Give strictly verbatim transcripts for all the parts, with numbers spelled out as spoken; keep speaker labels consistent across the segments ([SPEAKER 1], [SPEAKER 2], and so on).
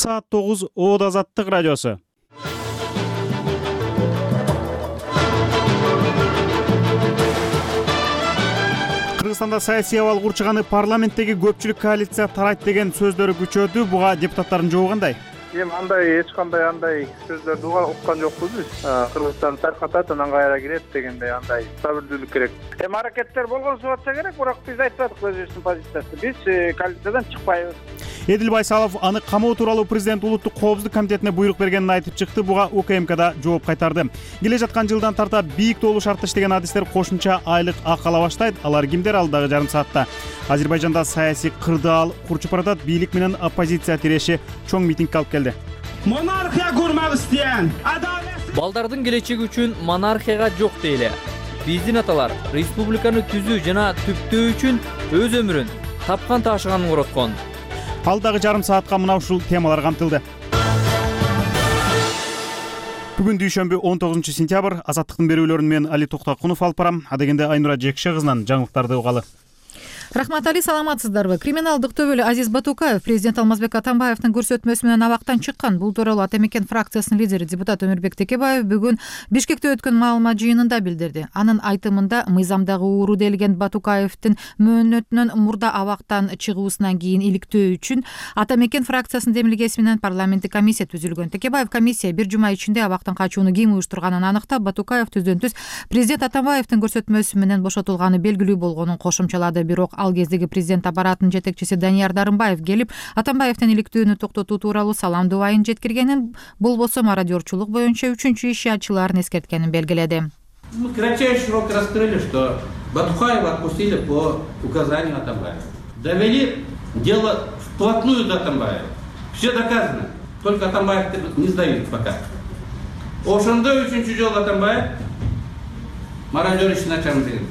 [SPEAKER 1] Саат тогуз Оод Азаттык радиосу. Кыргызстанда саясий абал курчаганы парламенттеги көпчүлүк коалиция тарайт деген сөздөрү күчөдү. Буга депутаттардын жообу кандай?
[SPEAKER 2] Эми андай эч кандай андай сөздөрдү уккан жокпуз биз. Кыргызстан таркатат, анан кайра кирет дегендей андай сабырдуулук керек. Эми аракеттер болгон субатса керек, бирок биз айтпадык өзүбүздүн позициясы. Биз коалициядан чыкпайбыз.
[SPEAKER 1] Эдил Байсалов аны камоо тууралуу президент улуттук коопсуздук комитетине буйрук бергенин айтып чыкты. Буга УКМКда жооп кайтарды. Келе жаткан жылдан тарта бийик тоолуу шартта иштеген адистер кошумча айлык акы ала баштайт. Алар кимдер? Алдагы жарым саатта Азербайжанда саясий кырдаал курчуп баратат. Бийлик менен оппозиция тиреши чоң митингге алып келди.
[SPEAKER 3] Монархия курмак истеген
[SPEAKER 4] балдардын келечеги үчүн монархияга жок дейле. Биздин аталар республиканы түзүү жана түптөө үчүн өз өмүрүн тапкан ташыганын короткон.
[SPEAKER 1] Алдагы жарым саатка мына ушул темалар камтылды. Бүгүн дүйшөмбү он тогузунчу сентябрь. Азаттыктын берүүлөрүн мен Али Токтокунов алып барам. Адегенде Айнура Жекше кызынан жаңылыктарды угалы.
[SPEAKER 5] Рахмат Али, саламатсыздарбы? Криминалдык төбөлү Азиз Батукаев президент Алмазбек Атамбаевдин көрсөтмөсү менен абактан чыккан. Бул тууралуу Ата Мекен фракциясынын лидери депутат Өмүрбек Текебаев бүгүн Бишкекте өткөн маалымат жыйынында билдирди. Анын айтымында мыйзамдагы ууру делген Батукаевдин мөөнөтүнөн мурда абактан чыгуусунан кийин иликтөө үчүн Ата Мекен фракциясынын демилгеси менен парламенттик комиссия түзүлгөн. Текебаев комиссия бир жума ичинде абактан качууну ким уюштурганын аныктап, Батукаев түздөн түз президент Атамбаевдин көрсөтмөсү менен бошотулганы белгилүү болгонун кошумчалады. Бирок ал кездеги президент аппаратынын жетекчиси Данияр Дарымбаев келип, Атамбаевдин иликтүүнү токтотуу тууралуу саламдуу айын жеткиргенин, болбосо мародерчулук боюнча үчүнчү иши ачылаарын эскерткенин белгиледи.
[SPEAKER 6] Мы кратчайший срок раскрыли, что Батукаева отпустили по указанию Атамбаева. Довели дело вплотную до Атамбаева. Все доказано. Только Атамбаев не сдают пока. Ошондой үчүнчү жолу Атамбаев мародер ишин ачам деген.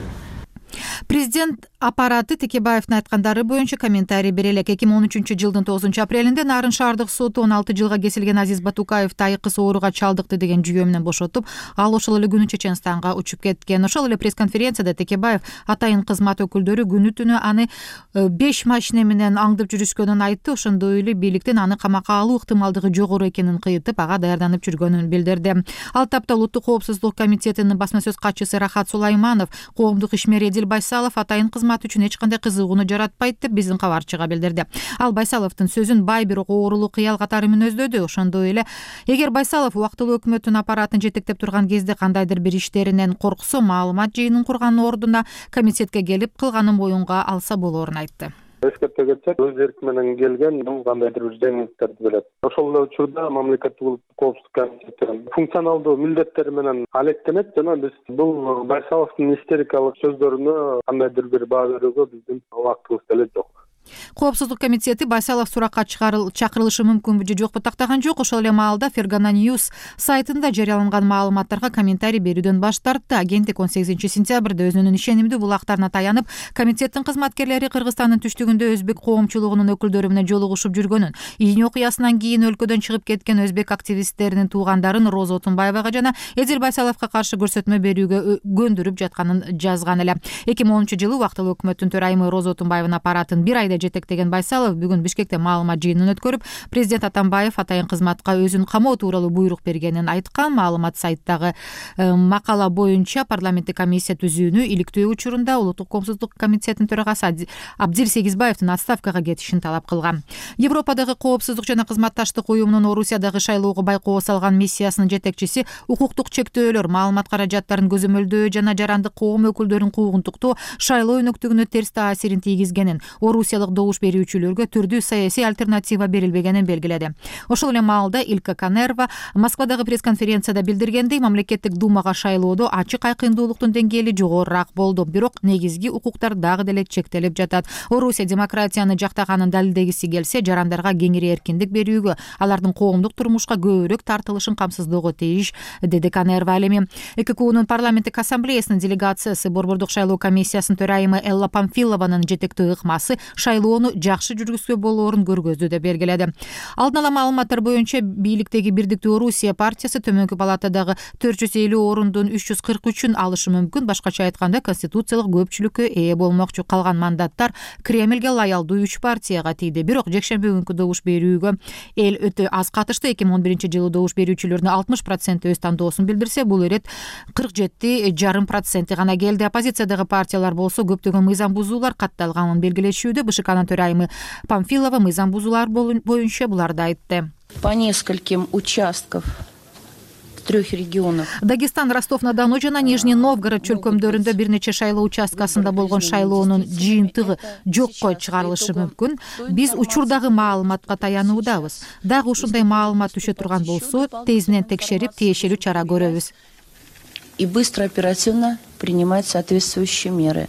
[SPEAKER 5] Президент аппараты Текебаевдин айткандары боюнча комментарий бере элек. эки миң он үчүнчү жылдын тогузунчу апрелинде Нарын шаардык соту он алты жылга кесилген Азиз Батукаевди айкыс ооруга чалдыкты деген жүйө менен бошотуп, ал ошол эле күнү Чеченстанга учуп кеткен. Ошол эле пресс-конференцияда Текебаев атайын кызмат өкүлдөрү күнү түнү аны беш машина менен аңдып жүрүшкөнүн айтты. Ошондой эле бийликтен аны камакка алуу ыктымалдыгы жогору экенин кыйытып, ага даярданып жүргөнүн билдирди. Ал тапта Улуттук коопсуздук комитетинин басма сөз катчысы Рахат Сулайманов коомдук ишмер Эдил Байсалов атайын кызмат үчүн эч кандай кызыгууну жаратпайт деп биздин кабарчыга билдирди. Ал Байсаловдун сөзүн бай бирок оорулуу кыял катары мүнөздөдү. Ошондой эле эгер Байсалов убактылуу өкмөттүн аппаратын жетектеп турган кезде кандайдыр бир иштеринен корксо, маалымат жыйынын курганын ордуна комитетке келип кылганын моюнга алса болоорун айтты.
[SPEAKER 2] Эскерте кетсек, өз эрки менен келген бул кандайдыр бир жеңилдиктерди берет. Ошол эле учурда мамлекеттик улуттук коопсуздук комитети функционалдуу милдеттери менен алектенет жана биз бул Байсаловдун истерикалык сөздөрүнө кандайдыр бир баа берүүгө биздин убактыбыз деле жок.
[SPEAKER 5] Коопсуздук комитети Байсалов суракка чакырылышы мүмкүнбү же жокпу тактаган жок. Ошол эле маалда Фергана News сайтында жарыяланган маалыматтарга комментарий берүүдөн баш тартты. Агенттик он сегизинчи сентябрда өзүнүн ишенимдүү булактарына таянып, комитеттин кызматкерлери Кыргызстандын түштүгүндө өзбек коомчулугунун өкүлдөрү менен жолугушуп жүргөнүн, июнь окуясынан кийин өлкөдөн чыгып кеткен өзбек активисттеринин туугандарын Роза Отунбаевага жана Эдил Байсаловго каршы көрсөтмө берүүгө көндүрүп жатканын жазган эле. эки миң онунчу жылы убактылуу өкмөттүн төрайымы Роза Отунбаеванын аппаратын бир айда жетектеген Байсалов бүгүн Бишкекте маалымат жыйынын өткөрүп, президент Атамбаев атайын кызматка өзүн камоо тууралуу буйрук бергенин айткан. Маалымат сайттагы макала боюнча парламенттик комиссия түзүүнү иликтөө учурунда Улуттук коопсуздук комитетинин төрагасы Абдир Сегизбаевдин отставкага кетишин талап кылган. Европадагы коопсуздук жана кызматташтык уюмунун Орусиядагы шайлоого байкоо салган миссиясынын жетекчиси укуктук чектөөлөр, маалымат каражаттарын көзөмөлдөө жана жарандык коом өкүлдөрүн куугунтуктоо шайлоо өнөктүгүнө терс таасирин тийгизгенин, орусиялык добуш берүүчүлөргө түрдүү саясий альтернатива берилбегенин белгиледи. Ошол эле маалда Илка Канерва Москвадагы пресс-конференцияда билдиргендей, мамлекеттик думага шайлоодо ачык айкындуулуктун деңгээли жогорураак болду, бирок негизги укуктар дагы деле чектелип жатат. Орусия демократияны жактаганын далилдегиси келсе, жарандарга кеңири эркиндик берүүгө, алардын коомдук турмушка көбүрөөк тартылышын камсыздоого тийиш, деди Канерва. Эми ЭККУнун парламенттик ассамблеясынын делегациясы Борбордук шайлоо комиссиясынын төрайымы Элла Памфилованын жетектөө ыкмасы шайлоо шайлоону жакшы жүргүзгө болоорун көргөздү деп белгиледи. Алдын ала маалыматтар боюнча бийликтеги Бирдиктүү Орусия партиясы төмөнкү палатадагы төрт жүз элүү орундун үч жүз кырк үчүн алышы мүмкүн. Башкача айтканда, конституциялык көпчүлүккө ээ болмокчу. Калган мандаттар Кремлге лаялдуу үч партияга тийди. Бирок жекшемби күнкү добуш берүүгө эл өтө аз катышты. эки миң он биринчи жылы добуш берүүчүлөрдүн алтымыш проценти өз тандоосун билдирсе, бул ирет кырк жети жарым проценти гана келди. Оппозициядагы партиялар болсо көптөгөн мыйзам бузуулар катталганын белгилешүүдө. БШКнын төрайымы Памфилова мыйзам бузуулар боюнча буларды айтты.
[SPEAKER 7] По нескольким участков трех регионов.
[SPEAKER 5] Дагестан, Ростов-на-Дону жана Нижний Новгород чөлкөмдөрүндө бир нече шайлоо участкасында болгон шайлоонун жыйынтыгы жокко чыгарылышы мүмкүн. Биз учурдагы маалыматка таянуудабыз. Дагы ушундай маалымат түшө турган болсо, тезинен текшерип, тиешелүү чара көрөбүз.
[SPEAKER 7] И быстро, оперативно принимать соответствующие меры.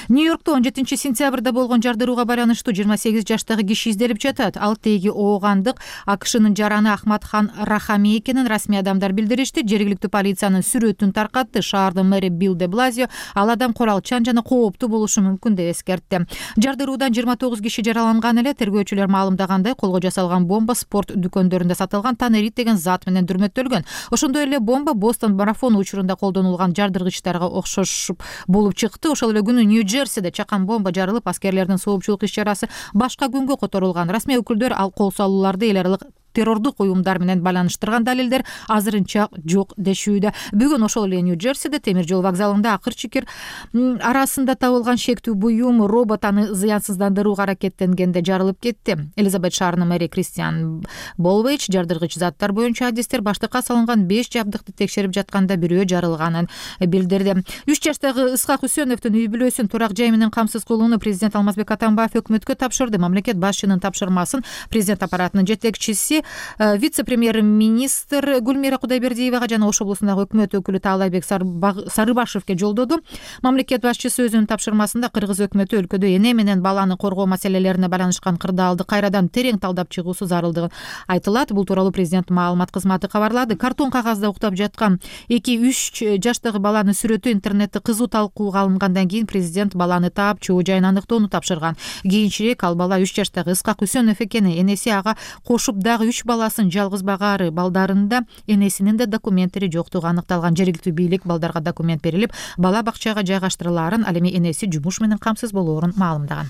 [SPEAKER 5] Нью-Йоркто он жетинчи сентябрда болгон жардырууга байланыштуу жыйырма сегиз жаштагы киши изделип жатат. Ал теги оогандык АКШнын жараны Ахмадхан Рахами экенин расмий адамдар билдиришти. Жергиликтүү полициянын сүрөтүн таркатты. Шаардын мэри Билл де Блазио ал адам куралчан жана кооптуу болушу мүмкүн деп эскертти. Жардыруудан жыйырма тогуз киши жараланган эле. Тергөөчүлөр маалымдагандай, колго жасалган бомба спорт дүкөндөрүндө сатылган танерит деген зат менен дүрмөттөлгөн. Ошондой эле бомба Бостон марафону учурунда колдонулган жардыргычтарга окшош болуп чыкты. Ошол эле күнү Нью-Джерсиде чакан бомба жарылып, аскерлердин соопчулук иш-чарасы башка күнгө которулган. Расмий өкүлдөр ал кол салууларды эл аралык террордук уюмдар менен байланыштырган далилдер азырынча жок дешүүдө. Бүгүн ошол эле Нью-Джерсиде темир жол вокзалында акыр чикир арасында табылган шектүү буюм робот аны зыянсыздандырууга аракеттенгенде жарылып кетти. Элизабет шаарынын мэри Кристиан Болвейч жардыргыч заттар боюнча адистер баштыкка салынган беш жабдыкты текшерип жатканда бирөө жарылганын билдирди. үч жаштагы Ысхак Үсөновдун үй бүлөсүн турак жай менен камсыз кылууну президент Алмазбек Атамбаев өкмөткө тапшырды. Мамлекет башчынын тапшырмасын президент аппаратынын жетекчиси вице-премьер-министр Гүлмира Кудайбердиевага жана Ош облусундагы өкмөт өкүлү Таалайбек Сарыбашевке жолдоду. Мамлекет башчысы өзүнүн тапшырмасында кыргыз өкмөтү өлкөдө эне менен баланы коргоо маселелерине байланышкан кырдаалды кайрадан терең талдап чыгуусу зарылдыгын айтылат. Бул тууралуу президент маалымат кызматы кабарлады. Картон кагазда уктап жаткан эки үч жаштагы баланын сүрөтү интернетте кызуу талкууга алынгандан кийин президент баланы таап, чоо жайын аныктоону тапшырган. Кийинчерээк ал бала үч жаштагы Ысхак Үсөнов экени. Энеси ага кошуп дагы үч баласын жалгыз багаары. Балдарында энесинин да документтери жоктугу аныкталган. Жергиликтүү бийлик балдарга документ берилип, бала бакчага жайгаштырылаарын, ал эми энеси жумуш менен камсыз болоорун маалымдаган.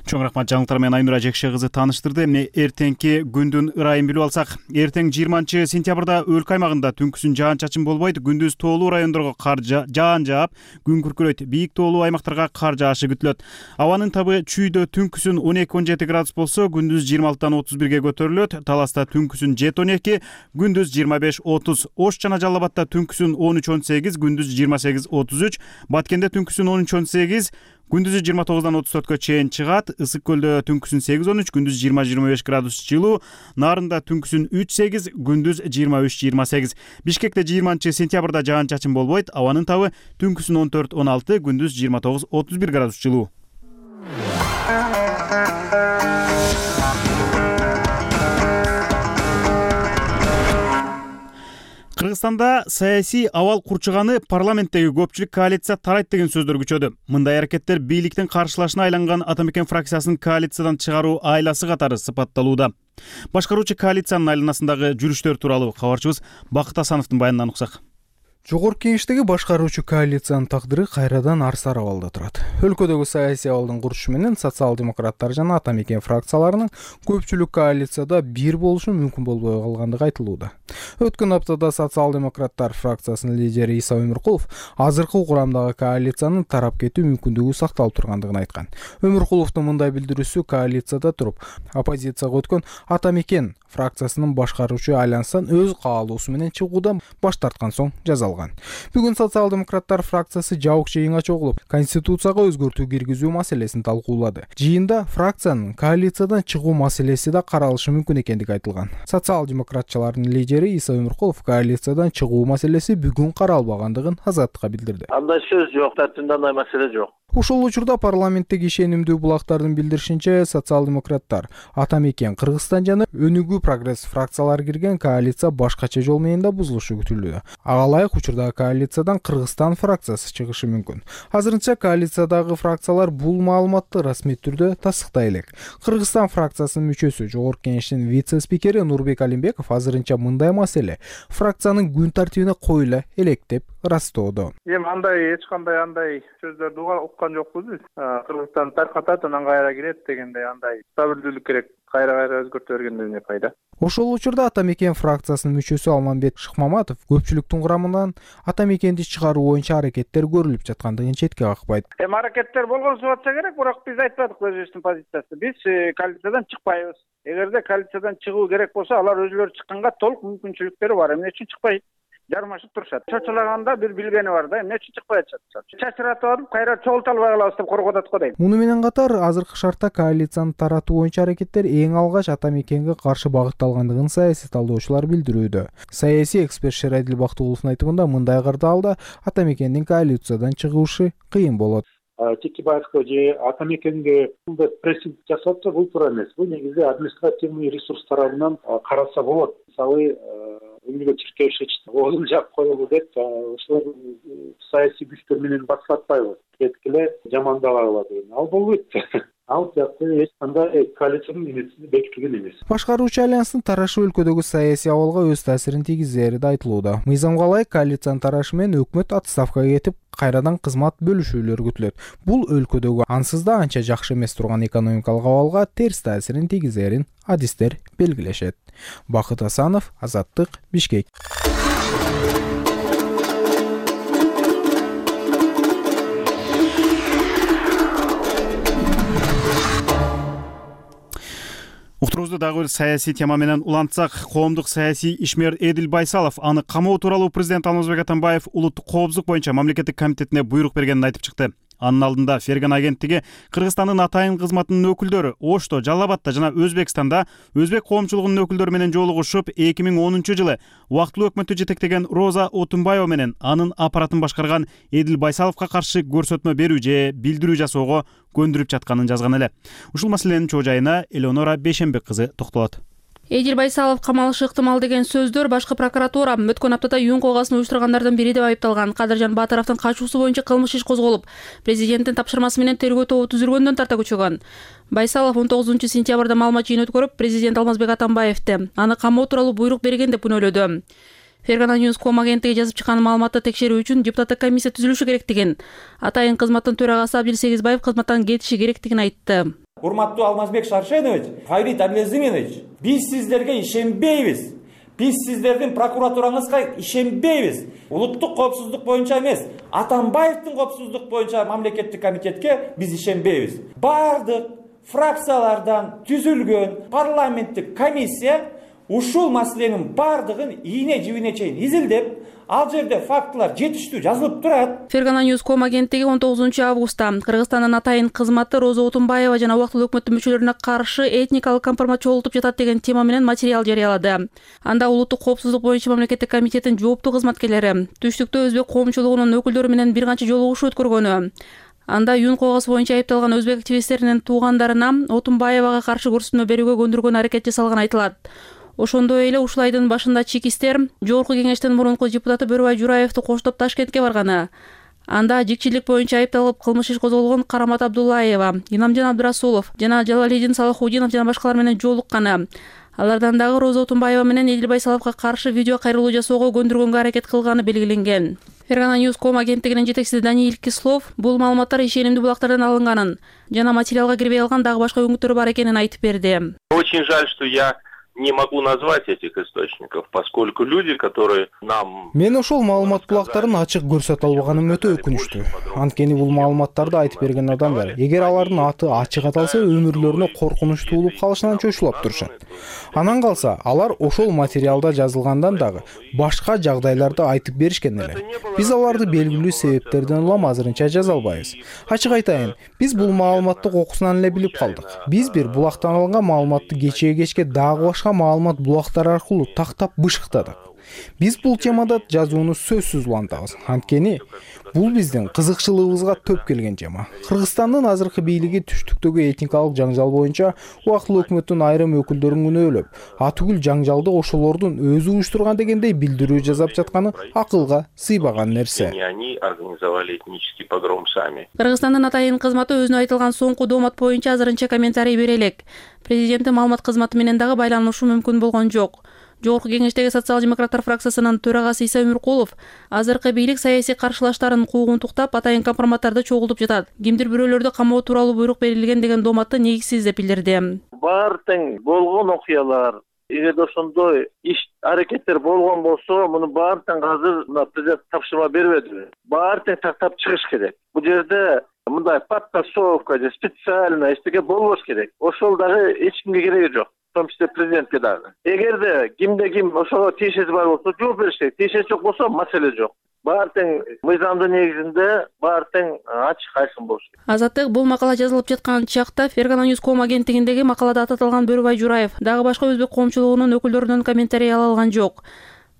[SPEAKER 1] Чоң рахмат, жаңылыктар менен Айнура Жекше кызы тааныштырды. Эмне эртеңки күндүн ырайын билип алсак, эртең жыйырманчы сентябрда өлкө аймагында түнкүсүн жаан-чачын болбойт. Күндүз тоолуу райондорго кар жаан жаап, күн күркүрөйт. Бийик тоолуу аймактарга кар жаашы күтүлөт. Абанын табы чүйдө түнкүсүн он эки он жети градус болсо, күндүз жыйырма алтыдан отуз бирге көтөрүлөт. Таласта түнкүсүн жети он эки, күндүз жыйырма беш отуз. Ош жана Жалал Абадта түнкүсүн он үч он сегиз, күндүз жыйырма сегиз отуз үч. Баткенде түнкүсүн он үч он сегиз, күндүзү жыйырма тогуздан отуз төрткө чейин чыгат. Ысык көлдө түнкүсүн сегиз он үч, күндүз жыйырма жыйырма беш градус жылуу. Нарында түнкүсүн үч сегиз, күндүз жыйырма үч жыйырма сегиз. Бишкекте жыйырманчы сентябрда жаан-чачын болбойт. Абанын табы түнкүсүн он төрт он алты, күндүз жыйырма тогуз отуз бир градус жылуу. Кыргызстанда саясий абал курчуганы парламенттеги көпчүлүк коалиция тарайт деген сөздөр күчөдү. Мындай аракеттер бийликтин каршылашына айланган Атамекен фракциясын коалициядан чыгаруу айласы катары сыпатталууда. Башкаруучу коалициянын айланасындагы жүрүштөр тууралуу кабарчыбыз Бакыт Асановдун баянынан уксак.
[SPEAKER 8] Жогорку Кеңештеги башкаруучу коалициянын тагдыры кайрадан арсар абалда турат. Өлкөдөгү саясий абалдын курчушу менен социал-демократтар жана Атамекен фракцияларынын көпчүлүк коалицияда бир болушу мүмкүн болбой калгандыгы айтылууда. Өткөн аптада социал-демократтар фракциясынын лидери Иса Өмүркулов азыркы курамдагы коалициянын тарап кетүү мүмкүндүгү сакталып тургандыгын айткан. Өмүркуловдун мындай билдирүүсү коалицияда туруп, оппозицияга өткөн Атамекен фракциясынын башкаруучу айлансдан өз каалоосу менен чыгуудан баш тарткан соң жазалган. Бүгүн социал-демократтар фракциясы жабык жыйынга чогулуп, конституцияга өзгөртүү киргизүү маселесин талкуулады. Жыйында фракциянын коалициядан чыгуу маселеси да каралышы мүмкүн экендиги айтылган. Социал-демократчылардын лидери Иса Өмүркулов коалициядан чыгуу маселеси бүгүн каралбагандыгын Азаттыкка билдирди.
[SPEAKER 9] Андай сөз жок, тартымда андай маселе жок.
[SPEAKER 8] Ушул учурда парламенттеги ишенимдүү булактардын билдиришинче, социал-демократтар Атамекен Кыргызстан жана өнүгүү Түзүү прогресс фракциялары кирген коалиция башкача жол менен да бузулушу күтүлүүдө. Ага ылайык учурдагы коалициядан Кыргызстан фракциясы чыгышы мүмкүн. Азырынча коалициядагы фракциялар бул маалыматты расмий түрдө тастыктай элек. Кыргызстан фракциясынын мүчөсү, Жогорку Кеңештин вице-спикери Нурбек Алимбеков азырынча мындай маселе фракциянын күн тартибине коюла элек деп ырастоодо.
[SPEAKER 2] Эми андай эч кандай андай сөздөрдү уккан жокпуз биз. Кыргызстан таркатат, анан кайра кирет дегендей андай стабилдүүлүк керек. Кайра-кайра өзгөртө бергенде эмне пайда?
[SPEAKER 8] Ошол учурда Ата Мекен фракциясынын мүчөсү Алмамбет Шыкмаматов көпчүлүктүн курамынан Ата Мекенди чыгаруу боюнча аракеттер көрүлүп жаткандыгын четке какпайт.
[SPEAKER 10] Эми аракеттер болгон субатса керек, бирок биз айтпадык өзүбүздүн позициясы. Биз коалициядан чыкпайбыз. Эгерде коалициядан чыгуу керек болсо, алар өзүлөрү чыкканга толук мүмкүнчүлүктөрү бар. Эмне үчүн чыкпайт? Жармашып турушат. Чочулаганда бир билгени бар да, эмне үчүн чыкпай атышат? Чачыратып алып, кайра чогулта албай калабыз деп коркуп атат го дейм.
[SPEAKER 8] Муну менен катар, азыркы шартта коалицияны таратуу боюнча аракеттер эң алгач Ата Мекенге каршы багытталгандыгын саясий талдоочулар билдирүүдө. Саясий эксперт Шерадил Бактыгуловдун айтымында мындай кырдаалда Ата Мекендин коалициядан чыгышы кыйын болот.
[SPEAKER 11] Текебаевго же Ата Мекенге бул прессинг жасап атса, бул туура эмес. Бул негизи административный ресурс тарабынан караса болот. Мисалы, Эмилио Чиркевич оозун жаап коелу деп, ошолор саясий күчтөр менен басып атпайбы? Кеткиле жамандабагыла деген. Ал болбойт. Ал жакта эч кандай коалициянын эмеси бекитилген эмес.
[SPEAKER 8] Башкаруучу альянстын тарашы өлкөдөгү саясий абалга өз таасирин тийгизери да айтылууда. Мыйзамга ылайык коалициянын тарашы менен өкмөт отставкага кетип, кайрадан кызмат бөлүшүүлөр күтүлөт. Бул өлкөдөгү ансыз да анча жакшы эмес турган экономикалык абалга терс таасирин тийгизерин адистер белгилешет. Бакыт Асанов, Азаттык, Бишкек.
[SPEAKER 1] Уктуруубузду дагы бир саясий тема менен улантсак, коомдук саясий ишмер Эдил Байсалов аны камоо тууралуу президент Алмазбек Атамбаев улуттук коопсуздук боюнча мамлекеттик комитетине буйрук бергенин айтып чыкты. Анын алдында Ферган агенттиги Кыргызстандын атайын кызматынын өкүлдөрү Ошто, Жалал Абадта жана Өзбекстанда өзбек коомчулугунун өкүлдөрү менен жолугушуп, эки миң онунчу жылы убактылуу өкмөттү жетектеген Роза Отунбаева менен анын аппаратын башкарган Эдил Байсаловго каршы көрсөтмө берүү же билдирүү жасоого көндүрүп жатканын жазган эле. Ушул маселенин чоо жайына Элеонора Бейшенбек кызы токтолот.
[SPEAKER 12] Эдил Байсалов камалышы ыктымал деген сөздөр башкы прокуратура өткөн аптада юун колгасын уюштургандардын бири деп айыпталган Кадыржан Батыровдун качуусу боюнча кылмыш иш козголуп, президенттин тапшырмасы менен тергөө тобу түзүлгөндөн тарта күчөгөн. Байсалов он тогузунчу сентябрда маалымат жыйын өткөрүп, президент Алмазбек Атамбаевди аны камоо тууралуу буйрук берген деп күнөөлөдү. Фергана Ньюс ком агенттиги жазып чыккан маалыматты текшерүү үчүн депутаттык комиссия түзүлүшү керектигин, атайын кызматтын төрагасы Абдил Сегизбаев кызматтан кетиши керектигин айтты.
[SPEAKER 13] Урматтуу Алмазбек Шаршенович, Фарид Абдилазимович, биз сиздерге ишенбейбиз. Биз сиздердин прокуратураңызга ишенбейбиз. Улуттук коопсуздук боюнча эмес, Атамбаевдин коопсуздук боюнча мамлекеттик комитетке биз ишенбейбиз. Бардык фракциялардан түзүлгөн парламенттик комиссия ушул маселенин бардыгын ийне жибине чейин изилдеп, ал жерде фактылар жетиштүү жазылып турат.
[SPEAKER 12] Фергана Ньюс ком агенттиги он тогузунчу августта Кыргызстандын атайын кызматы Роза Отунбаева жана убактылуу өкмөттүн мүчөлөрүнө каршы этникалык компромат чогултуп жатат деген тема менен материал жарыялады. Анда улуттук коопсуздук боюнча мамлекеттик комитеттин жооптуу кызматкерлери түштүктө өзбек коомчулугунун өкүлдөрү менен бир канча жолугушуу өткөргөнү, анда юун колгасы боюнча айыпталган өзбек активисттеринин туугандарына Отунбаевага каршы көрсөтмө берүүгө көндүргөн аракет жасалганы айтылат. Ошондой эле ушул айдын башында чекистер Жогорку Кеңештин мурунку депутаты Бөрүбай Жураевди коштоп Ташкентке барганы. Анда жикчилик боюнча айыпталып кылмыш иш козголгон Карамат Абдуллаева, Инамжан Абдырасулов жана Жалалидин Салахудинов жана башкалар менен жолукканы. Алардан дагы Роза Отунбаева менен Эдил Байсаловго каршы видео кайрылуу жасоого көндүргөнгө аракет кылганы белгиленген. Фергана Ньюс ком агенттигинин жетекчиси Даниил Кислов бул маалыматтар ишенимдүү булактардан алынганын жана материалга кирбей алган дагы башка өңүттөр бар экенин айтып берди.
[SPEAKER 9] Очень жаль, что я не могу назвать этих источников, поскольку люди, которые нам...
[SPEAKER 8] Мен ошол маалымат булактарын ачык көрсөтө албаганым өтө өкүнүчтүү. Анткени бул маалыматтарды айтып берген адамдар, эгер алардын аты ачык аталса, өмүрлөрүнө коркунуч туулуп калышынан чочулап турушат. Анан калса, алар ошол материалда жазылгандан дагы башка жагдайларды айтып беришкен эле. Биз аларды белгилүү себептерден улам азырынча жаза албайбыз. Ачык айтайын, биз бул маалыматты окусунан эле билип калдык. Биз бир булактан алынган маалыматты кечеге кечке дагы башка маалымат булактары аркылуу тактап бышыктадык. Биз бул темада жазууну сөзсүз улантабыз. Анткени бул биздин кызыкчылыгыбызга төп келген тема. Кыргызстандын азыркы бийлиги түштүктөгү этникалык жаңжал боюнча убактылуу өкмөттүн айрым өкүлдөрүн күнөөлөп, атүгүл жаңжалды ошолордун өзү уюштурган дегендей билдирүү жасап жатканы акылга сыйбаган нерсе.
[SPEAKER 9] Они организовали этнический погром сами.
[SPEAKER 12] Кыргызстандын атайын кызматы өзүнө айтылган соңку доомат боюнча азырынча комментарий бере элек. Президенттин маалымат кызматы менен дагы байланышуу мүмкүн болгон жок. Жогорку кеңештеги социал-демократтар фракциясынын төрагасы Иса Өмүркулов азыркы бийлик саясий каршылаштарын куугунтуктап, атайын компроматтарды чогултуп жатат. Кимдир бирөөлөрдү камоо тууралуу буйрук берилген деген дооматты негизсиз деп билдирди.
[SPEAKER 14] Баары тең болгон окуялар, эгерде ошондой иш аракеттер болгон болсо, муну баары тең азыр мына президент тапшырма бербеди. Баары тең тактап чыгыш керек. Бул жерде мындай подтасовка же специально эчтеке болбош керек. Ошол дагы эч кимге кереги жок. В том числе президентке дагы. Эгерде кимде ким ошого тиешеси бар болсо жооп бериш керек. Тиешеси жок болсо маселе жок. Баары тең мыйзамдын негизинде баары тең ачык айкын болуш керек.
[SPEAKER 12] Азаттык бул макала жазылып жаткан чакта Фергана News ком агенттигиндеги макалада ататылган Бөрүбай Жураев дагы башка өзбек коомчулугунун өкүлдөрүнөн комментарий ала алган жок.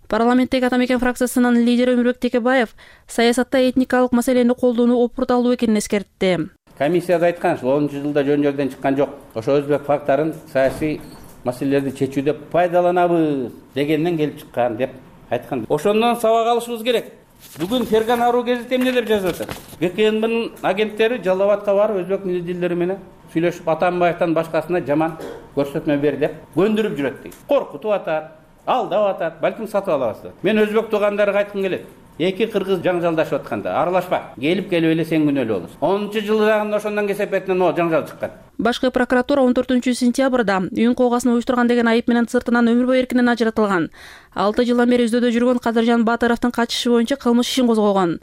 [SPEAKER 12] Парламенттеги Атамекен фракциясынын лидери Өмүрбек Текебаев саясатта этникалык маселени колдонуу опурталуу экенин эскертти.
[SPEAKER 6] Комиссияда айткан ушул онунчу жылда жөн жерден чыккан жок. Ошо өзбек факторун саясий маселелерди чечүүдө пайдаланабыз дегенден келип чыккан деп айткан. Ошондон сабак алышыбыз керек. Бүгүн Фергана Ру гезити эмне деп жазып атат? ГКНБнын агенттери Жалал Абадка барып өзбек милдеттери менен сүйлөшүп Атамбаевтан башкасына жаман көрсөтмө бер деп көндүрүп жүрөт дейт. Коркутуп атат, алдап атат, балким сатып алабыз. Мен өзбек туугандарга айткым келет. Эки кыргыз жаңжалдашып атканда аралашпа. Келип келип эле сен күнөөлүү болосуң. онунчу жылдагы ошондон кесепетинен о жаңжал чыккан.
[SPEAKER 12] Башкы прокуратура он төртүнчү сентябрда үйүн коогасын уюштурган деген айып менен сыртынан өмүр бою эркинен ажыратылган. алты жылдан бери издөөдө жүргөн Кадыржан Баатыровдун качышы боюнча кылмыш ишин козгогон.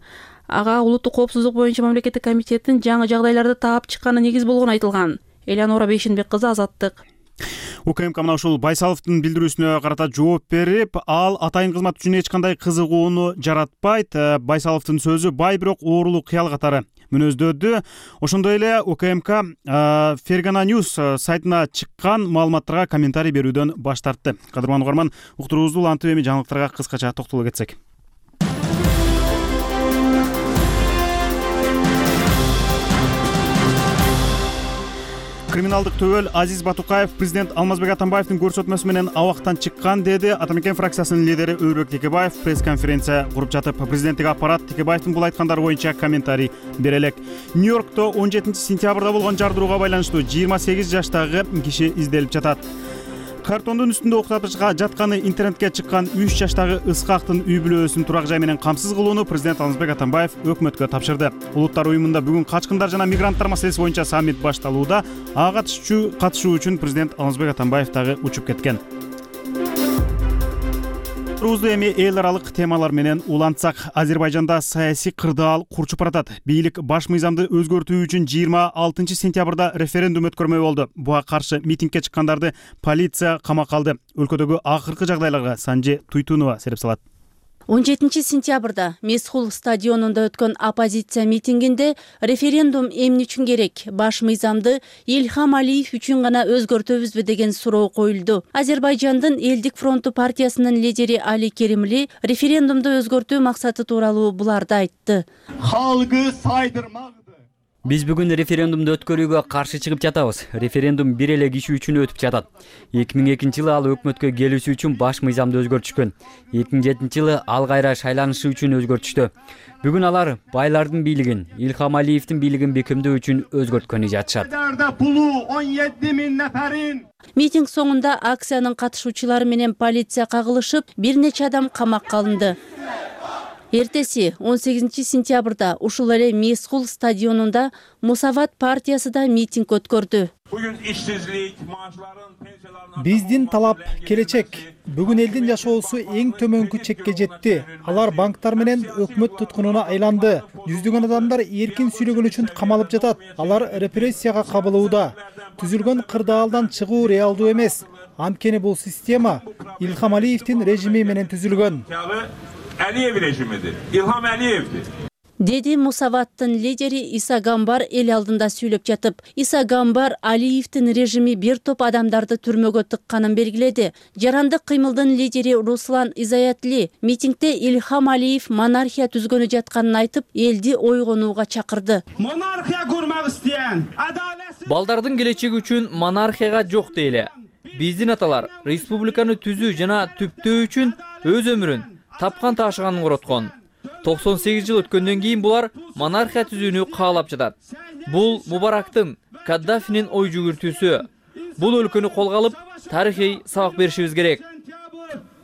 [SPEAKER 12] Ага улуттук коопсуздук боюнча мамлекеттик комитеттин жаңы жагдайларды таап чыкканы негиз болгону айтылган. Элеонора Бейшенбек кызы, Азаттык.
[SPEAKER 1] УКМК мына ушул Байсаловдун билдирүүсүнө карата жооп берип, ал атайын кызмат үчүн эч кандай кызыгууну жаратпайт. Байсаловдун сөзү бай бирок оорулуу кыял катары мүнөздөдү. Ошондой эле УКМК Фергана News сайтына чыккан маалыматтарга комментарий берүүдөн баш тартты. Кадырман угарман, уктуруубузду улантып эми жаңылыктарга кыскача токтоло кетсек. Криминалдык төбөл Азиз Батукаев президент Алмазбек Атамбаевдин көрсөтмөсү менен абактан чыккан деди. Атамекен фракциясынын лидери Өмүрбек Текебаев пресс-конференция куруп жатып, президенттик аппарат Текебаевдин бул айткандары боюнча комментарий бере элек. Нью-Йоркто он жетинчи сентябрда болгон жардырууга байланыштуу жыйырма сегиз жаштагы киши изделип жатат. Картондун үстүндө уктатышка жатканы интернетке чыккан үч жаштагы Ыскактын үй бүлөсүн турак жай менен камсыз кылууну президент Алмазбек Атамбаев өкмөткө тапшырды. Улуттар уюмунда бүгүн качкындар жана мигранттар маселеси боюнча саммит башталууда. Ага катышуу үчүн президент Алмазбек Атамбаев дагы учуп кеткен. Рузду эми эл аралык темалар менен улантсак, Азербайжанда саясий кырдаал курчуп баратат. Бийлик баш мыйзамды өзгөртүү үчүн жыйырма алтынчы сентябрда референдум өткөрмөй болду. Буга каршы митингге чыккандарды полиция камакка алды. Өлкөдөгү акыркы жагдайларга Санжи Туйтунова сереп салат.
[SPEAKER 15] он жетинчи сентябрда Месхул стадионунда өткөн оппозиция митингинде референдум эмне үчүн керек? Баш мыйзамды Илхам Алиев үчүн гана өзгөртөбүзбү деген суроо коюлду. Азербайжандын Элдик фронту партиясынын лидери Али Керимли референдумду өзгөртүү максаты тууралуу буларды айтты.
[SPEAKER 3] Халкы сайдырмак.
[SPEAKER 4] Биз бүгүн референдумду өткөрүүгө каршы чыгып жатабыз. Референдум бир эле киши үчүн өтүп жатат. эки миң экинчи жылы ал өкмөткө келүүсү үчүн баш мыйзамды өзгөртүшкөн. эки миң жетинчи жылы ал кайра шайланышы үчүн өзгөртүштү. Бүгүн алар байлардын бийлигин, Илхам Алиевдин бийлигин бекемдөө үчүн өзгөрткөнү жатышат.
[SPEAKER 15] Митинг соңунда акциянын катышуучулары менен полиция кагылышып, бир нече адам камакка алынды. Эртеси он сегизинчи сентябрда ушул эле Месхул стадионунда Мусават партиясы да митинг өткөрдү.
[SPEAKER 3] Бүгүн ишсиздик, maaşların, pensiyalarına
[SPEAKER 16] Биздин талап келечек. Бүгүн элдин жашоосу эң төмөнкү чекке жетти. Алар банктар менен өкмөт туткунуна айланды. Жүздөгөн адамдар эркин сүйлөгөн үчүн камалып жатат. Алар репрессияга кабылууда. Түзүлгөн кырдаалдан чыгуу реалдуу эмес. Анткени бул система Илхам Алиевдин режими менен түзүлгөн.
[SPEAKER 3] Aliyev rejimidir. İlham Aliyev'dir.
[SPEAKER 15] деди Мусаваттын лидери Иса Гамбар эл алдында сүйлөп жатып. Иса Гамбар Алиевдин режими бир топ адамдарды түрмөгө тыкканын белгиледи. Жарандык кыймылдын лидери Руслан Изаятли митингде Ильхам Алиев монархия түзгөнү жатканын айтып, элди ойгонууга чакырды.
[SPEAKER 3] Монархия курмак истеген,
[SPEAKER 17] балдардын келечеги үчүн монархияга жок дейле. Биздин аталар республиканы түзүү жана түптөө үчүн өз өмүрүн тапкан ташыганын короткон. токсон сегиз жыл өткөндөн кийин булар монархия түзүүнү каалап жатат. Бул Мубарактын, Каддафинин ой жүгүртүүсү. Бул өлкөнү колго алып, тарыхый сабак беришибиз керек.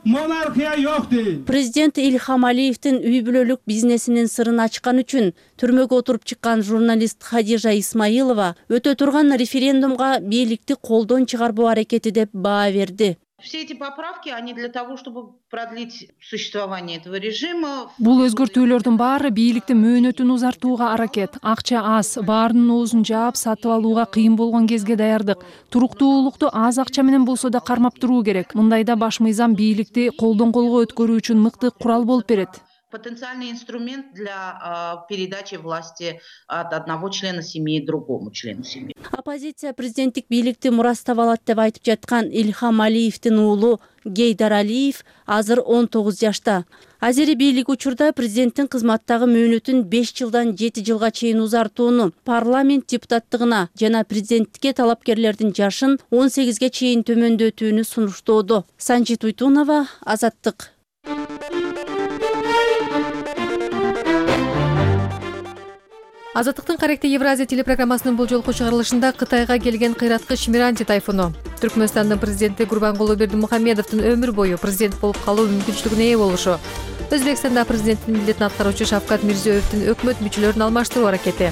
[SPEAKER 3] Монархия жок дейт.
[SPEAKER 15] Президент Ильхам Алиевдин үй бүлөлүк бизнесинин сырын ачкан үчүн түрмөгө отуруп чыккан журналист Хадижа Исмаилова өтө турган референдумга бийликти колдон чыгарбоо аракети деп баа берди.
[SPEAKER 18] Все эти поправки, они для того, чтобы продлить существование этого режима.
[SPEAKER 19] Бул өзгөртүүлөрдүн баары бийликтин мөөнөтүн узартууга аракет. Акча аз, баарынын оозун жаап сатып алууга кыйын болгон кезге даярдык. Туруктуулукту аз акча менен болсо да кармап туруу керек. Мындайда баш мыйзам бийликти колдон колго өткөрүү үчүн мыкты курал болуп берет.
[SPEAKER 18] Потенциальный инструмент для э, передачи власти от одного члена семьи другому члену семьи.
[SPEAKER 15] Оппозиция президенттик бийликти мурастап алат деп айтып жаткан Ильхам Алиевдин уулу Гейдар Алиев азыр он тогуз жашта. Азери бийлик учурда президенттин кызматтагы мөөнөтүн беш жылдан жети жылга чейин узартууну, парламент депутаттыгына жана президенттикке талапкерлердин жашын он сегизге чейин төмөндөтүүнү сунуштоодо. Санжит Уйтунова, Азаттык.
[SPEAKER 20] Азаттыктын каректи Евразия телепрограммасынын бул жолку чыгарылышында Кытайга келген кыйраткыч Миранти тайфуну, Түркмөнстандын президенти Гурбангулы Бердимухамедовдун өмүр бою президент болуп калуу мүмкүнчүлүгүнө ээ болушу, Өзбекстанда президенттин милдетин аткаруучу Шавкат Мирзиёевдин өкмөт мүчөлөрүн алмаштыруу аракети,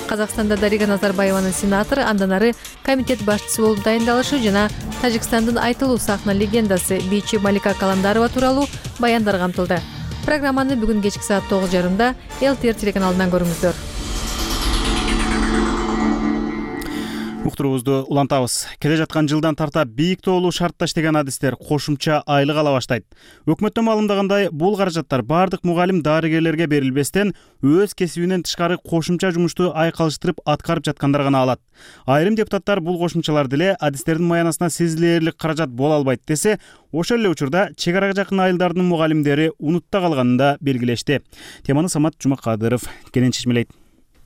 [SPEAKER 20] Казакстанда Дарига Назарбаеванын сенатору, андан ары комитет башчысы болуп дайындалышы жана Тажикстандын айтылуу сахна легендасы бийчи Малика Каландарова тууралуу баяндар камтылды. Программаны бүгүн кечки саат тогуз жарымда эл ти эр телеканалынан көрүңүздөр.
[SPEAKER 1] Уктуруубузду улантабыз. Келе жаткан жылдан тарта бийик тоолуу шартта иштеген адистер кошумча айлык ала баштайт. Өкмөттөн маалымдагандай, бул каражаттар бардык мугалим дарыгерлерге берилбестен, өз кесибинен тышкары кошумча жумушту айкалыштырып аткарып жаткандар гана алат. Айрым депутаттар бул кошумчалар деле адистердин маянасына сезилээрлик каражат боло албайт десе, ошол эле учурда чек арага жакын айылдардын мугалимдери унутта калганын да белгилешти. Теманы Самат Жумакадыров кенен чечмелейт.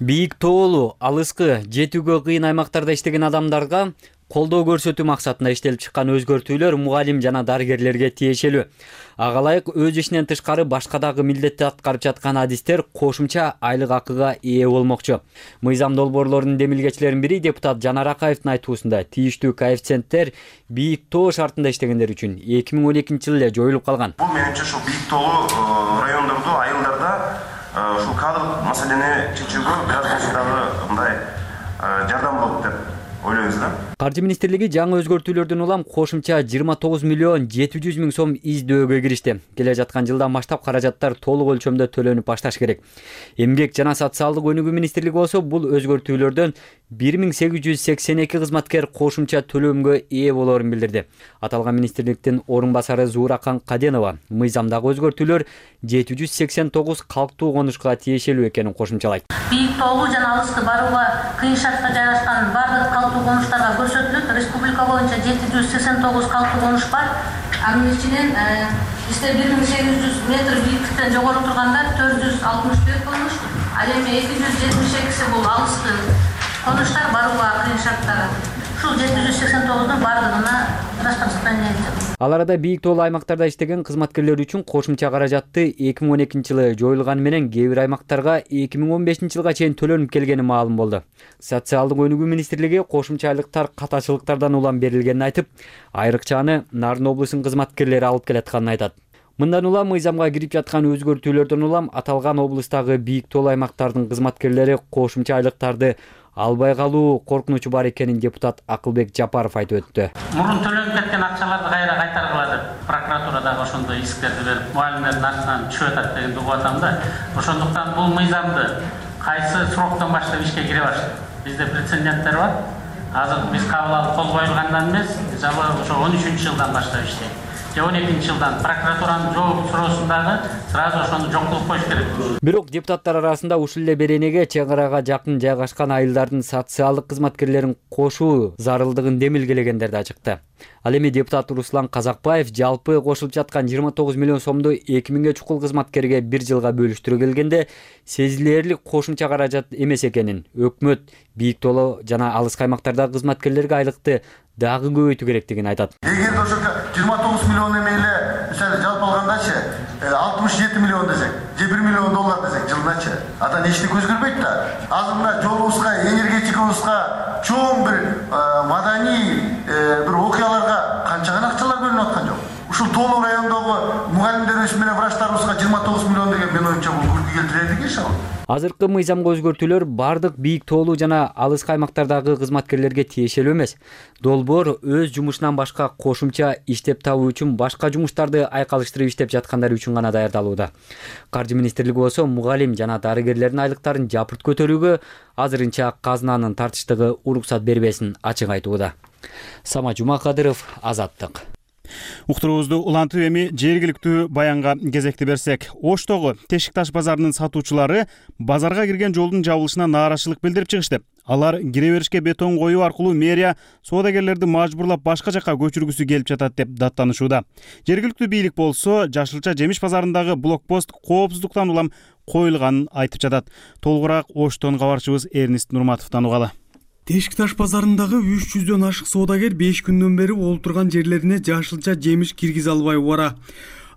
[SPEAKER 4] Бийик тоолуу, алыскы, жетүүгө кыйын аймактарда иштеген адамдарга колдоо көрсөтүү максатында иштелип чыккан өзгөртүүлөр мугалим жана дарыгерлерге тиешелүү. Ага ылайык өз ишинен тышкары башка дагы милдетти аткарып жаткан адистер кошумча айлык акыга ээ болмокчу. Мыйзам долбоорлорунун демилгечилеринин бири депутат Жанар Акаевдин айтуусунда тииштүү коэффициенттер бийик тоо шартында иштегендер үчүн эки миң он экинчи жылы эле жоюлуп калган.
[SPEAKER 21] Бул менимче ушул бийик тоолуу райондордо, айылдарда ушул кадрлык маселени чечүүгө бир аз дагы мындай жардам болот деп ойлойбуз да.
[SPEAKER 4] Каржы министрлиги жаңы өзгөртүүлөрдөн улам кошумча жыйырма тогуз миллион жети жүз миң сом издөөгө киришти. Келе жаткан жылдан баштап каражаттар толук өлчөмдө төлөнүп башташ керек. Эмгек жана социалдык өнүгүү министрлиги болсо бул өзгөртүүлөрдөн бир миң сегиз жүз сексен эки кызматкер кошумча төлөмгө ээ болоорун билдирди. Аталган министрликтин орун басары Зууракан Каденова мыйзамдагы өзгөртүүлөр жети жүз сексен тогуз калктуу конушка тиешелүү экенин кошумчалайт.
[SPEAKER 22] Бийик тоолуу жана алыскы барууга кыйын шартта жайгашкан бардык калктуу конуштарга көрсөтүлөт. Республика боюнча жети жүз сексен тогуз калктуу конуш бар. Анын ичинен бизде бир миң сегиз жүз метр бийиктиктен жогору тургандар төрт жүз алтымыш төрт конуш, ал эми эки жүз жетимиш экиси бул алыскы конуштар барууга кыйын шарттар. Ушул жети жүз сексен тогуздун бардыгына распоряжение этти.
[SPEAKER 4] Ал арада бийик тоолуу аймактарда иштеген кызматкерлер үчүн кошумча каражатты эки миң он экинчи жылы жоюлганы менен кээ бир аймактарга эки миң он бешинчи жылга чейин төлөнүп келгени маалым болду. Социалдык өнүгүү министрлиги кошумча айлыктар катачылыктардан улам берилгенин айтып, айрыкчаны Нарын облусунун кызматкерлери алып келатканын айтат. Мындан улам мыйзамга кирип жаткан өзгөртүүлөрдөн улам аталган облустагы бийик тоолуу аймактардын кызматкерлери кошумча айлыктарды албай калуу коркунучу бар экенин депутат Акылбек Жапаров айтып өттү.
[SPEAKER 23] Мурун төлөнүп кеткен акчаларды кайра кайтаргыла деп прокуратурадагы ошондой исктерди берип, мугалимдердин артынан түшүп атат дегенди угуп атам да. Ошондуктан бул мыйзамды кайсы сроктон баштап ишке кире баштады. Бизде прецеденттер бар. Азыр биз кабыл алып кол коюлгандан эмес, мисалы ошо он үчүнчү жылдан баштап иштейт. же он экинчи жылдан прокуратуранын жооп суроосундагы сразу ошону жок кылып коюш керек.
[SPEAKER 4] Бирок депутаттар арасында ушул эле беренеге чек арага жакын жайгашкан айылдардын социалдык кызматкерлерин кошуу зарылдыгын демилгелегендер да чыкты. Ал эми депутат Руслан Казакбаев жалпы кошулуп жаткан жыйырма тогуз миллион сомду эки миңге чукул кызматкерге бир жылга бөлүштүрө келгенде сезилэрлик кошумча каражат эмес экенин, өкмөт бийик тооло жана алыс каймактардагы кызматкерлерге айлыкты дагы көбөйтүү керектигин айтат.
[SPEAKER 2] Эгерде ошо жыйырма тогуз миллион эмейле мисалы жалпы алгандачы алтымыш жети миллион десек, же бир миллион доллар десек жылдачы, ада эчтеке өзгөрбөйт да. Азыр мына жолубузга, энергетикабызга чоң бир маданий бир окуяларга канча гана акчалар бөлүнүп аткан жок. Ушул Тоолуу районундагы мугалимдерибиз менен врачтарыбызга жыйырма тогуз миллион деген мен оюмча бул күлкү келтирет иш ал.
[SPEAKER 4] Азыркы мыйзамга өзгөртүүлөр бардык бийик тоолуу жана алыс каймактардагы кызматкерлерге тиешелүү эмес. Долбоор өз жумушунан башка кошумча иштеп табуу үчүн башка жумуштарды айкалыштырып иштеп жаткандар үчүн гана даярдалууда. Каржы министрлиги болсо мугалим жана дарыгерлердин айлыктарын жапырт көтөрүүгө азырынча казынанын тартыштыгы уруксат бербесин ачык айтууда. Сама Жумакадыров, Азаттык.
[SPEAKER 1] Уктуруубузду улантып эми жергиликтүү баянга кезекти берсек, Оштогу Тешик таш базарынын сатуучулары базарга кирген жолдун жабылышына нааразычылык билдирип чыгышты. Алар кире беришке бетон коюу аркылуу мэрия соодагерлерди мажбурлап башка жакка көчүргүсү келип жатат деп даттанышууда. Жергиликтүү бийлик болсо Жашылча жемиш базарындагы блокпост коопсуздуктан улам коюлганын айтып жатат. Толугураак Оштон кабарчыбыз Эрнист Нурматовдон угалы.
[SPEAKER 5] Тешик таш базарындагы үч жүздөн ашык соодагер беш күндөн бери олтурган жерлерине жашылча жемиш киргизе албай бара.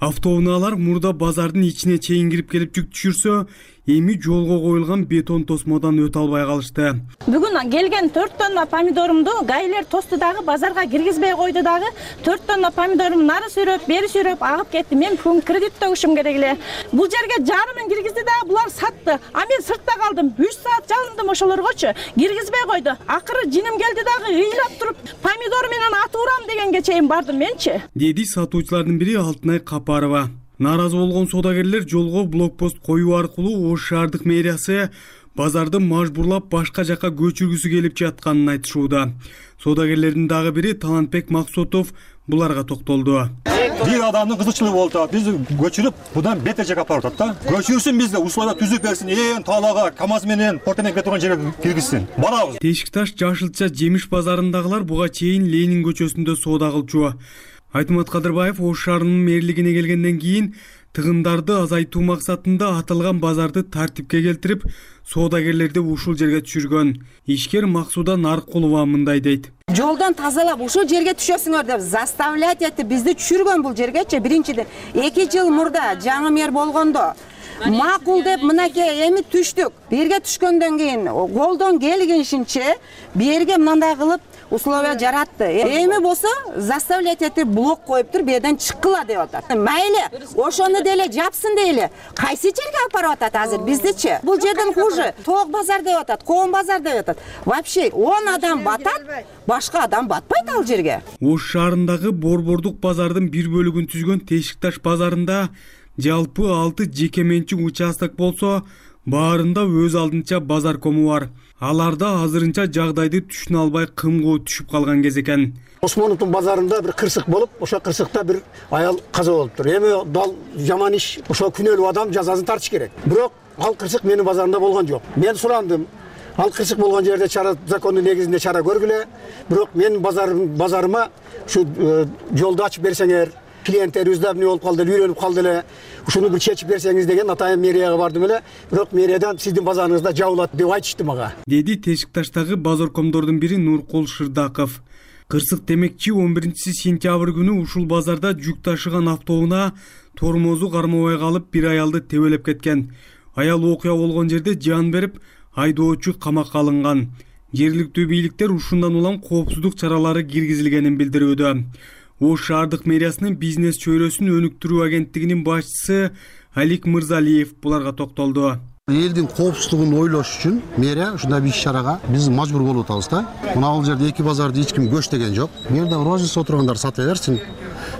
[SPEAKER 5] Автоунаалар мурда базардын ичине чейин кирип келип жүк түшүрсө, эми жолго коюлган бетон тосмодон өтө албай калышты.
[SPEAKER 7] Бүгүн келген төрт тонна помидорумду гайлер тосту дагы базарга киргизбей койду дагы. төрт тонна помидорум нары сүйрөп, бери сүйрөп агып кетти. Мен бүгүн кредит төгүшүм керек эле. Бул жерге жарымын киргизди да булар сатты. А мен сыртта калдым. үч саат жалындым ошолоргочу. Киргизбей койду. Акыры жиним келди дагы ыйлап туруп, помидор менен атып урам дегенге чейин бардым менчи.
[SPEAKER 5] Деди сатуучулардын бири Алтынай Капарова. Нааразы болгон соодагерлер жолго блокпост коюу аркылуу Ош шаардык мэриясы базарды мажбурлап башка жакка көчүргүсү келип жатканын айтышууда. Соодагерлердин дагы бири Талантбек Максутов буларга токтолду.
[SPEAKER 24] Бир адамдын кызыкчылыгы болуп, биз көчүрүп, будан бетер жакка апарып атат да. Көчүрсүн бизди, условия түзүп берсин, ээн таалага КАМАЗ менен портемен кетип турган жерге киргизсин. Барабыз.
[SPEAKER 5] Тешик таш Жашылча жемиш базарындагылар буга чейин Ленин көчөсүндө соода кылчу. Айтмат Кадырбаев Ош шаарынын мэрлигине келгенден кийин тыгындарды азайтуу максатында аталган базарды тартипке келтирип, соодагерлерди ушул жерге түшүргөн. Ишкер Максуда Наркулова мындай дейт.
[SPEAKER 25] Жолдон тазалап ушул жерге түшөсүңөр деп заставлять этип бизди түшүргөн бул жергечи. Биринчиден, эки жыл мурда жаңы мэр болгондо макул деп мынакей эми түштүк. Берге түшкөндөн кийин колдон келгенишинче берге мындай кылып условия жаратты. Эми болсо заставлять этип блок коюп туруп берден чыккыла деп атат. Мейли, ошону деле жапсын дейли. Кайсы жерге алып атат азыр биздичи? Бул жерден хуже. Тоок базар деп атат, Коон базар деп атат. Вообще он адам батат, башка адам батпайт ал жерге.
[SPEAKER 5] Ош шаарындагы Борбордук базардын бир бөлүгүн түзгөн Тешик таш базарында жалпы алты жеке менчик участок болсо, баарында өз алдынча базар кому бар. Аларда азырынча жагдайды түшүнө албай кымгоо түшүп калган кез экен.
[SPEAKER 26] Осмоновдун базарында бир кырсык болуп, ошо кырсыкта бир аял каза болуптур. Эми дал жаман иш, ошо күнөөлүү адам жазасын тартыш керек. Бирок ал кырсык менин базарымда болгон жок. Мен сурандым. Ал кырсык болгон жерде чара закондун негизинде чара көргүлө. Бирок менин базарым базарыма ушу жолду ачып берсеңер, клиенттер үздабный болуп калды, үйрөнүп калды эле. Ушуну бир чечип берсеңиз деген атайын мэрияга бардым эле. Бирок мэриядан сиздин базарыңызда жабылат деп айтышты мага.
[SPEAKER 5] Деди Тешик таштагы базаркомдордун бири Нуркул Шырдаков. Кырсык демекчи он биринчи сентябрь күнү ушул базарда жүк ташыган автоунаа тормозу кармабай калып бир аялды тебелеп кеткен. Аял окуя болгон жерде жан берип, айдоочу камакка алынган. Жергиликтүү бийликтер ушундан улам коопсуздук чаралары киргизилгенин билдирүүдө. Ош шаардык мэриясынын бизнес чөйрөсүн өнүктүрүү агенттигинин башчысы Алик Мырзалиев буларга токтолду.
[SPEAKER 27] Элдин коопсуздугун ойлош үчүн мэрия ушундай бир иш-чарага биз мажбур болуп атабыз да. Мына бул жерде эки базарды эч ким көчтөгөн жок. Бу жерде розница отургандар сата берсин.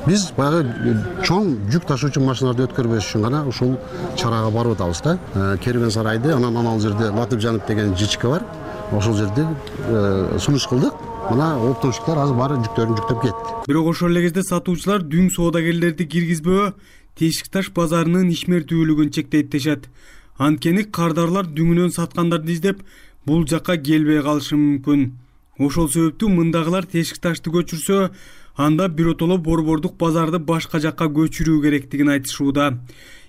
[SPEAKER 27] Биз баягы чоң жүк ташуучу машиналарды өткөрбөш үчүн гана ушул чарага барып атабыз да. Керуен сарайды, анан анал жерде Латып Жанып деген жичке бар. ошол жерде сунуш кылдык. Мына оптовщиктер азыр баары жүктөрүн жүктөп кетти.
[SPEAKER 5] Бирок ошол эле кезде сатуучулар дүң соодагерлерди киргизбөө Тешик таш базарынын ишмердүүлүгүн чектейт дешет. Анткени кардарлар дүңүнөн саткандарды издеп бул жакка келбей калышы мүмкүн. Ошол себептүү мындагылар Тешик ташты көчүрсө, анда биротоло борбордук базарды башка жакка көчүрүү керектигин айтышууда.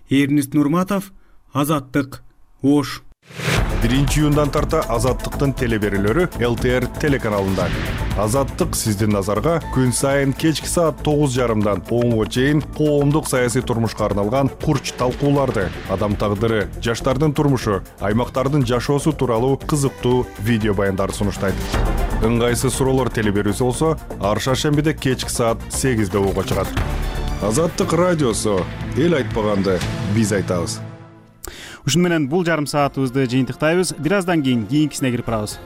[SPEAKER 5] Эрнест Нурматов, Азаттык, Ош.
[SPEAKER 6] биринчи июндан тарта Азаттыктын телеберүүлөрү эл тэ эр телеканалында. Азаттык сиздин назарга күн сайын кечки саат тогуз жарымдан онго чейин коомдук саясий турмушка арналган курч талкууларды, адам тагдыры, жаштардын турмушу, аймактардын жашоосу тууралуу кызыктуу видео баяндарды сунуштайт. Ыңгайсыз суроолор телеберүүсү болсо, ар шаршембиде кечки саат сегизде угууга чыгат. Азаттык радиосу, эл айтпаганды биз айтабыз.
[SPEAKER 1] Ушуну менен бул жарым саатыбызды жыйынтыктайбыз. Бир аздан кийин кийинкисине кирип барабыз.